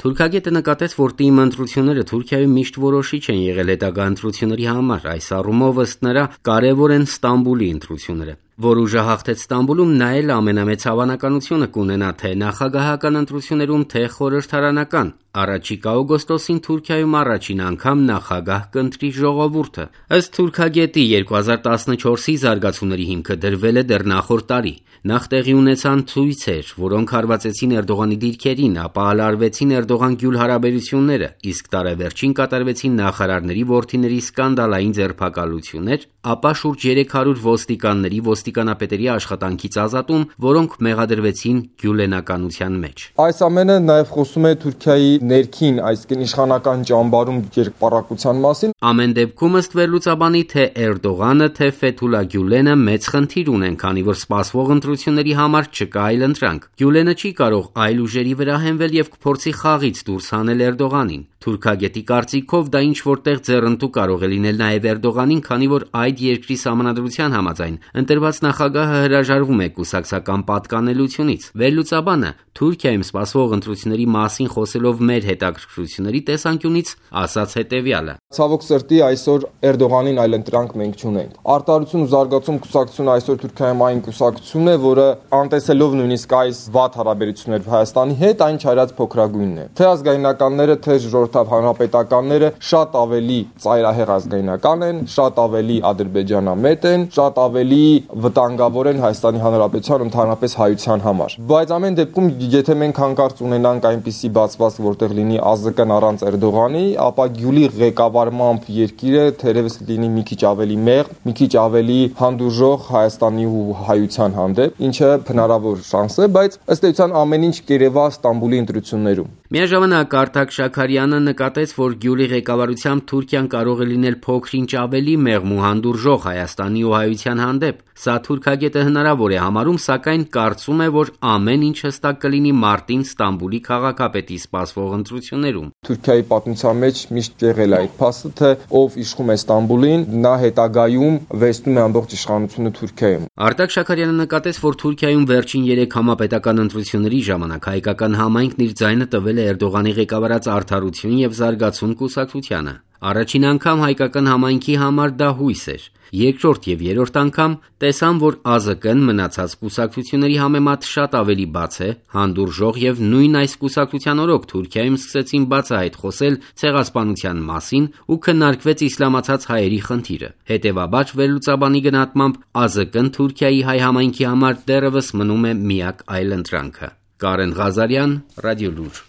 Թուրքագետը նկատեց, որ ՏԻՄ ընտրությունները Թուրքիայում միշտ որոշիչ են եղել հետագա ընտրությունների համար, այս առումով ըստ նրա կարևոր են Ստամբուլի ընտրությունները, որ ուժը հաղթեց Ստամբուլում, նա էլ ամենամեծ հավանականությունը կունենա թե նախագահական ընտրություններում, թե խորհրդարանական։ Առաջիկա օգոստոսին Թուրքիայում առաջին անգամ նախագահ կընտրի ժողովուրդը։ Ըստ թուրքագետի 2014-ի զարգացումների հիմքը դրվել է դեռ նախորդ տարի։ Նախ տեղի ունեցան ցույցեր, որոնք հարվածեցին Էրդողանի դիրքերին, ապա ալարվեցին Էրդողան-Գյուլ հարաբերությունները, իսկ տարեվերջին կատարվեցին նախարարների որդիների սկանդալային ձերբակալություններ, ապա շուրջ 300 ոստիկանների, ոստիկանապետերի աշխատանքից ազատում, որոնք մեղադրվեցին գյուլենականության մեջ։ Այս ամենը նաև խոսում է Թուրքիայի ներքին, այսինքն իշխանական ճամբարում երկպառակության մասին։ Ամեն դեպքում ըստ վերլուծաբանի թե Էրդողանը, թե Ֆեթուլա Գյուլենը մեծ խնդիր ունեն, քանի որ սպասվող ընտրությունների համար չկա այլընտրանք։ Գյուլենը չի կարող այլ ուժերի վրա հենվել եւ կփորձի խաղից դուրս հանել Էրդողանին։ Թուրքագետի կարծիքով դա ինչ որտեղ ձեռնտու կարող է լինել նաև Էրդողանին, քանի որ այդ երկրի սահմանադրության համաձայն ընտրված նախագահը հրաժարվում է կուսակցական պատկանելությունից։ Վերլուծաբանը Թուրքիայում սպասվող ընտրությունների մասին խոսելով մեր հետաքրքրությունների տեսանկյունից ասաց հետևյալը. Ցավոք սրտի այսօր Էրդողանին այլընտրանք մենք չունենք։ Արտարություն ու զարգացում կուսակցությունը այսօր Թուրքիայում այն կուսակցությունն է, որը անտեսելով նույնիսկ այս վատ հարաբերություններ Հայաստանի հետ, այն չարած փոքրագույնն է։ Թե ազգայնականները, թե ժողովրդավ հանրապետականները շատ ավելի ծայրահեղ ազգայնական են, շատ ավելի ադրբեջանամետ են, շատ ավելի վտանգավոր են Հայաստանի Հանրապետության ընդհանրապես հայության համար։ Բայց ամեն դեպքում, եթե մենք հանկարծ ունենանք այնպիսի բացվածք, որտեղ լինի ԱԶԿ-ն առանց Էրդողանի, ապա Գյուլի ղեկավարմամբ երկիրը թերևս լինի մի քիչ ավելի մեղմ, մի քիչ ավելի հանդուրժող Հայաստանի ու հայության հանդեպ, ինչը հնարավոր շանս է, բայց ըստ էության ամեն ինչ կերևա Ստամբուլի ընտրություններում։ Միաժամանակ Արտակ Շաքարյանը նկատեց, որ Գյուլի ղեկավարությամբ Թուրքիան կարող է լինել փոքր-ինչ ավելի մեղմ ու հանդուրժող Հայաստանի ու հայության հանդեպ։ Սա թուրքագետը հնարավոր է համարում, սակայն կարծում է, որ ամեն ինչ հստակ կլինի մարտին Ստամբուլի քաղաքապետի սպասվող ընտրություններում։ Թուրքիայի պատմության մեջ միշտ եղել է այդ փաստը, թե ով իշխում է Ստամբուլին, նա հետագայում վերցնում է ամբողջ իշխանությունը Թուրքիայում։ Արտակ Շաքարյանը նկատեց, որ Թուրքիայում վերջին 3 համապետական ընտրությունների ժամանակ հայկական համայնքն իր ձայնը տվել է Էրդողանի ղեկավարած Արդարություն եւ Զարգացում կուսակցությանը։ Առաջին անգամ հայկական համայնքի համար դա հույս էր։ Երկրորդ եւ երրորդ անգամ տեսան, որ ԱԶԿ-ն մնացած կուսակցությունների համեմատ շատ ավելի բաց է, հանդուրժող եւ նույն այս կուսակցության օրոք Թուրքիայում սկսեցին բացահայտ խոսել ցեղասպանության մասին ու քննարկվեց իսլամացած հայերի խնդիրը։ Հետևաբար վերլուծաբանի գնահատմամբ ԱԶԿ-ն Թուրքիայի հայ համայնքի համար դեռևս մնում է միակ այլընտրանքը։ Կարեն Ղազարյան, Ռադիոլուր։